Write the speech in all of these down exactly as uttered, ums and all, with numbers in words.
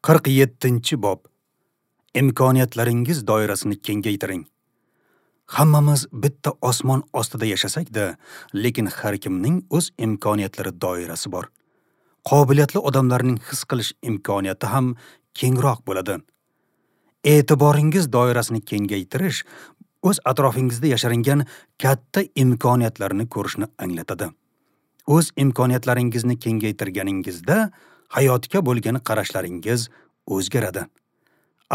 qirq yettinchi bob. Imkoniyatlaringiz doirasini kengaytiring. Hammamiz bitta osmon ostida yashasak-da, lekin har kimning o'z imkoniyatlari doirasi bor. Qobiliyatli odamlarning his qilish imkoniyati ham kengroq bo'ladi. E'tiboringiz doirasini kengaytirish o'z atrofingizda yashiringan katta imkoniyatlarni ko'rishni anglatadi. O'z imkoniyatlaringizni kengaytirganingizda hayotga bo'lgan qarashlaringiz o'zgaradi.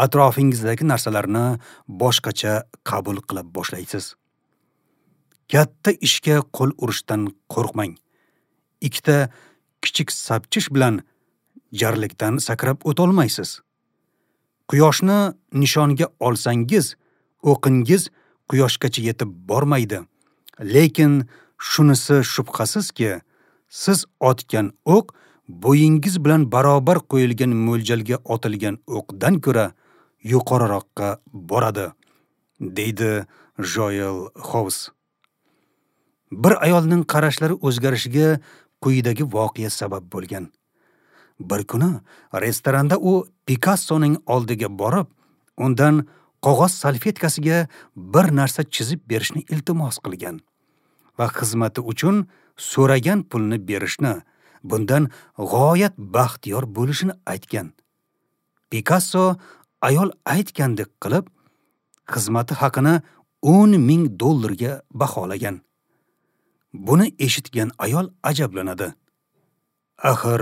Atrofingizdagi narsalarni boshqacha qabul qila boshlaysiz. Katta ishga qo'l urishdan qo'rqmang. Ikkita kichik sapchish bilan jarlikdan sakrab o'ta olmaysiz. Quyoshni nishonga olsangiz, o'qingiz quyoshgacha yetib bormaydi. Lekin shunisi shubhasizki, siz otgan o'q bo'yingiz bilan barobar qo'yilgan mo'ljalga otilgan o'qdan ko'ra yuqoriroqqa boradi, deydi Joel House. Bir ayolning qarashlari o'zgarishiga quyidagi voqea sabab bo'lgan. Bir kuni restoranda u Picassoning oldiga borib, undan qog'oz salfetkasiga bir narsa chizib berishni iltimos qilgan va xizmati uchun so'ragan pulni berishni, bundan g'oyat baxtiyor bo'lishini aytgan. Picasso ayol aytgandek qilib, xizmati haqini o'n ming dollarga baholagan. Buni eshitgan ayol ajablanadi. Axir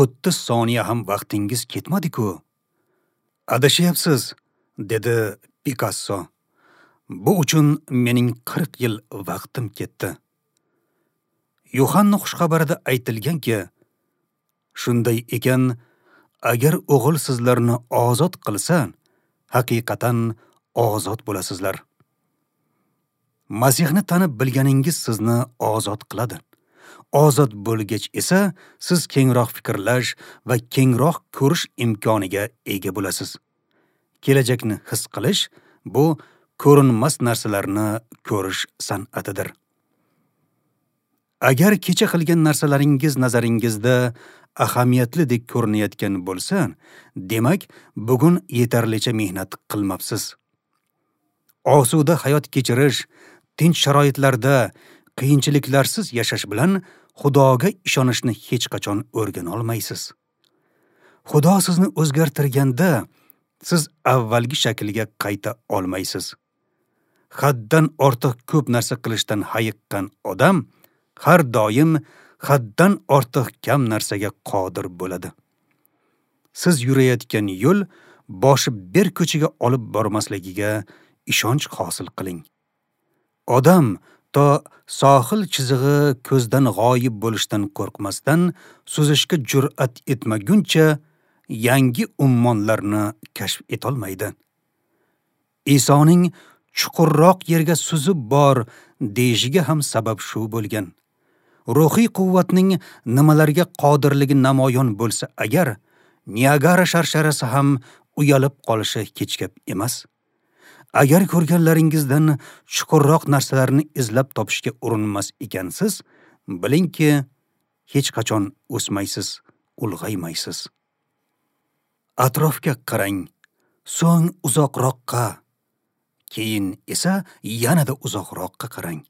o'ttiz soniya ham vaqtingiz ketmadi-ku. Adashyapsiz, dedi Picasso. Bu uchun mening qirq yil vaqtim ketdi. Yuhanna xushxabarida aytilganki, shunday ekan, agar o'g'il sizlarni ozod qilsa, haqiqatan ozod bo'lasizlar. Masihni tanib bilganingiz sizni ozod qiladi. Ozod bo'lgach esa siz kengroq fikrlash va kengroq ko'rish imkoniga ega bo'lasiz. Kelajakni his qilish bu ko'rinmas narsalarni ko'rish san'atidir. Agar kecha qilgan narsalaringiz nazaringizda ahamiyatli dek ko'rinayotgan bo'lsa, demak, bugun yetarlicha mehnat qilmabsiz. Osuda hayot kechirish, tinch sharoitlarda qiyinchiliklarsiz yashash bilan Xudoga ishonishni hech qachon o'rgana olmaysiz. Xudo sizni o'zgartirganda siz avvalgi shaklga qayta olmaysiz. Haddan ortiq ko'p narsa qilishdan hayiqqan odam har doim haddan ortiq kam narsaga qodir bo'ladi. Siz yurayotgan yo'l boshi berk ko'chaga olib bormasligiga ishonch hosil qiling. Odam to sohil chizig'i ko'zdan g'oyib bo'lishdan qo'rqmasdan suzishga jur'at etmaguncha yangi ummonlarni kashf etolmaydi. Isoning chuqurroq yerga suzib bor deyishiga ham sabab shu bo'lgan. Ruhiy quvvatning nimalarga qodirligi namoyon bo'lsa agar, Niagara sharsharasi ham uyalib qolishi hech gap emas. Agar ko'rganlaringizdan chuqurroq narsalarni izlab topishga urinmas ekansiz, bilingki, hech qachon o'smaysiz, ulg'aymaysiz. Atrofga qarang, so'ng uzoqroqqa, keyin esa yanada uzoqroqqa qarang.